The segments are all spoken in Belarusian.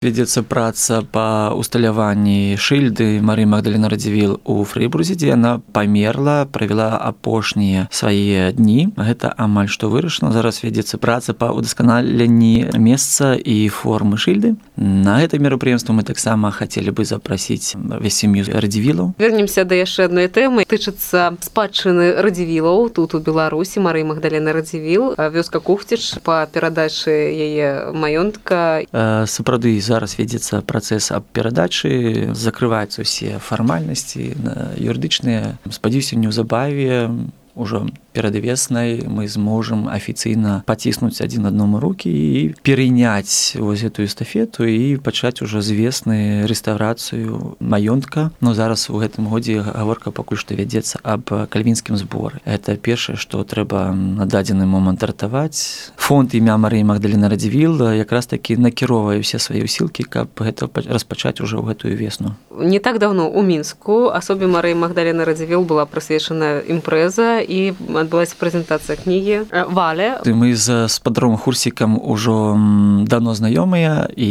Вядзецца праца па усталяванні шыльды Марыі Магдаліны Радзівіл у Фрэйбурзе, дзе яна памерла, правяла апошнія свае дні. Гэта амаль што вырашана. Зараз вядзецца праца па ўдасканаленні месца і формы шыльды. На гэта мерапрыемства мы таксама хацелі бы запрасіць сям'ю Радзівілаў. Вернемся да яшчэ адной тэмы. Тычыцца спадчыны Радзівілаў тут у Беларусі. Марыі Магдаліны Радзівіл, вёска Кухціч па перадачы яе маёнтка. Сапраўды, зараз вядзецца працэс аб перадачы, закрываюцца ўсе фармальнасці юрыдычныя. Спадзяюся, неўзабаве ўжо перад веснай мы зможам афіцыйна паціснуць адзін аднаму рукі і перыняць вось гэтую эстафету і пачаць ужо з весны рэстаўрацыю маёнтка. Но зараз у гэтым годзе гаворка пакуль што вядзецца аб кальвінскім зборы. Гэта першае, што трэба на дадзены момант ратаваць. Фонд імя Марыі Магдаліны Радзівіл якраз такі накіроўвае ўсе свае ўсілкі, каб гэта распачаць ужо ў гэтую весну. Не так даўно ў Мінску асобе Марыі Магдаліны Радзівіл была прысвечана імпрэза і адбылася прэзентацыя кнігі «Валя». Мы з спадаром Хурсікам ужо давно знаёмыя, і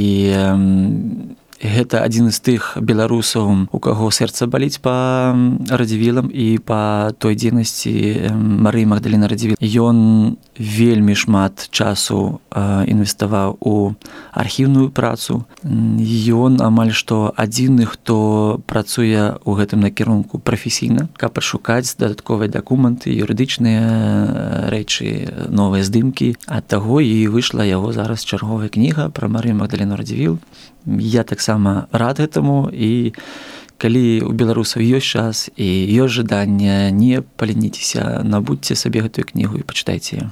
гэта адзін з тых беларусаў, у каго сэрца баліць па Радзівілам і па той дзейнасці Марыі Магдаліны Радзівіл. Ён вельмі шмат часу інвеставаў у архіўную працу. Ён амаль што адзіны, хто працуе ў гэтым накірунку прафесійна, каб пашукаць дадатковыя дакументы, юрыдычныя рэчы, новыя здымкі. Ад таго і выйшла яго зараз чарговая кніга пра Марыю Магдаліну Радзівіл. Я таксама рад гэтаму, і калі у беларусаў ёсць час і ёсць жаданне, не паленіцеся, набудзьце сабе гэтую кнігу і пачытайце яе.